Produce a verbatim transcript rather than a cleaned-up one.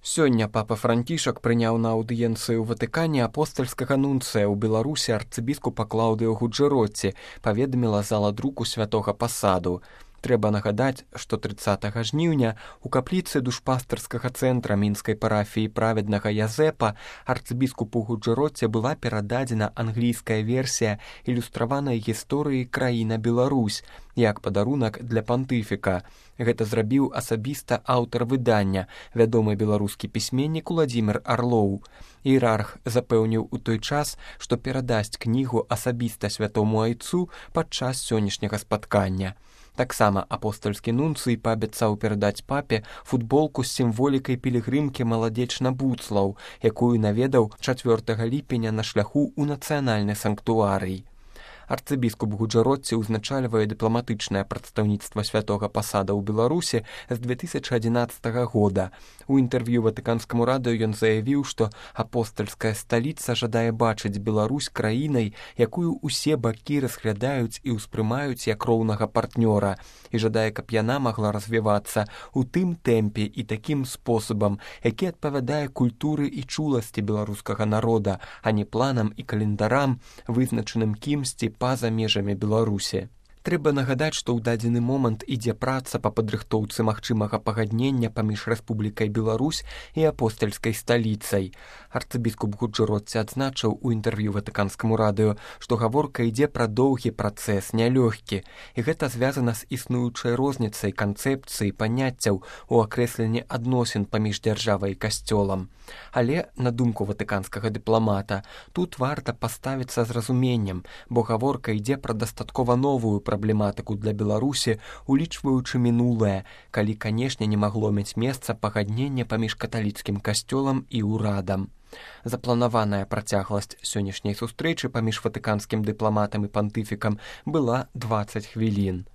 Сёння папа Францішак прыняў на аўдыенцыі ў Ватыкане апостальскага нунцыя ў Беларусі арцыбіскупа Клаўдыю Гуджэротці, паведаміла зала друку святога пасаду. Трэба нагадаць, што трыццатага жніўня у капліцы душпастырскага цэнтра мінскай парафіі праведнага Язэпа арцыбіскупу Гуджэротці была перададзена англійская версія ілюстраванай гісторыі краіна Беларусь як падарунак для пантыфіка. Гэта зрабіў асабіста аўтар выдання, вядомы беларускі пісьменнік Уладзімір Арлоў. Іерарх запэўніў у той час, што перадасць кнігу асабіста святому айцу падчас сённяшняга спаткання. Таксама апостальскі нунцый паабяцаў перадаць папе футболку з сімволікай пілігрымкі маладзечна Буцлаў, якую наведаў чацвёртага ліпеня на шляху ў нацыянальны санктуарый. Арцыбіскуп Гуджэротці ўзначальвае дыпламатычнае прадстаўніцтва святога пасада ў Беларусі з две тысячы адзінаццатага года. У інтэрв'ю ватыканскаму радыё ён заявіў, што апостальская сталіца жадае бачыць Беларусь краінай, якую ўсе бакі разглядаюць і ўспрымаюць як роўнага партнёра, і жадае, каб яна магла развівацца ў тым тэмпе і такім спосабам, які адпавядае культуры і чуласці беларускага народа, а не планам і календарам, вызначаным кімсьці па-за межамі Беларусі. Трэба нагадаць, што ў дадзены момант ідзе праца па падрыхтоўцы магчымага пагаднення паміж Рэспублікай Беларусь і апостальскай сталіцай. Арцыбіскуп Гуджэротці адзначыў у інтэрв'ю ватыканскаму радыё, што гаворка ідзе пра доўгі працэс, нялёгкі, і гэта звязана з існуючай розніцай канцэпцыі паняццяў у акрэсленні адносін паміж дзяржавай і касцёлам. Але, на думку ватыканскага дыпламата, тут варта паставіцца з разуменнем, бо гаворка ідзе пра дастаткова новую праблематыку для Беларусі, улічваючы мінулае, калі, канешне, не магло мець месца пагаднення паміж каталіцкім касцёлам і ўрадам. Запланаваная працягласць сённяшняй сустрэчы паміж ватыканскім дыпламатам і пантыфікам была дваццаць хвілін.